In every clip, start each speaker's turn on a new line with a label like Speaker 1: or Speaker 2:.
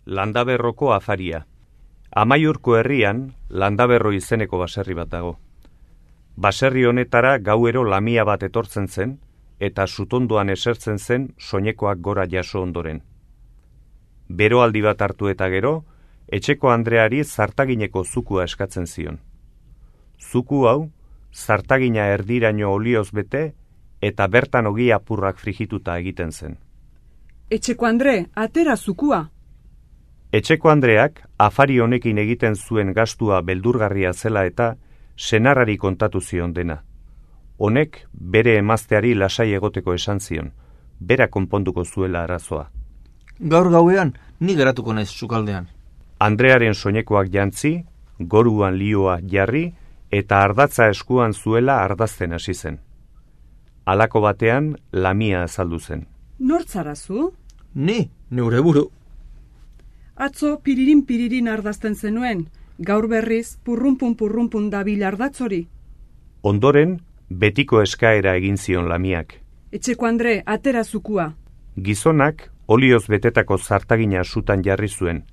Speaker 1: Landaberroko afaria. Amaiurko herrian, Landaberro izeneko baserri bat dago. Baserri honetara gauero lamia bat etortzen zen, eta sutondoan esertzen zen soinekoak gora jaso ondoren. Beroaldi bat hartu eta gero, etxeko andreari zartagineko zukua eskatzen zion. Zuku hau, zartagina erdiraino olioz bete, eta bertan ogi apurrak frigituta egiten zen.
Speaker 2: Etxeko andre, atera zukua!
Speaker 1: Etxeko andreak afari honekin egiten zuen gastua beldurgarria zela eta senarrari kontatu zion dena. Honek bere emazteari lasai egoteko esan zion, bera konponduko zuela arazoa.
Speaker 3: Gaur gauean, ni geratuko naiz sukaldean.
Speaker 1: Andrearen soinekoak jantzi, goruan lioa jarri, eta ardatza eskuan zuela ardazten hasi zen. Halako batean, lamia azaldu zen.
Speaker 2: Nortzarazu?
Speaker 3: Ni, neure buru.
Speaker 2: Atzo piririn ardazten zenuen, gaur berriz purrunpun dabil ardatzori.
Speaker 1: Ondoren, betiko eskaera egin zion lamiak.
Speaker 2: Etxeko andre, atera zukua.
Speaker 1: Gizonak olioz betetako zartagina sutan jarri zuen,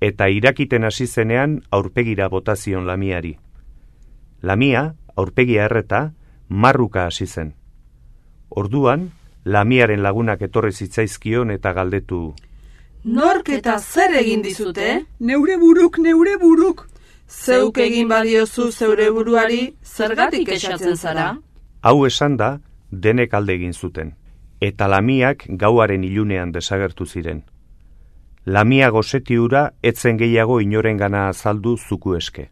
Speaker 1: eta irakiten hasi zenean aurpegira bota zion lamiari. Lamia, aurpegia erreta, marruka hasi zen. Orduan, lamiaren lagunak etorri zitzaizkion eta galdetu.
Speaker 4: Nork eta zer egin dizute?
Speaker 2: Neure buruk!
Speaker 4: Zeuk egin badiozu zeure buruari, zergatik esatzen zara?
Speaker 1: Hau esan da, denek alde egin zuten, eta lamiak gauaren ilunean desagertu ziren. Lamia goseti hura etzen gehiago inorengana azaldu zuku eske.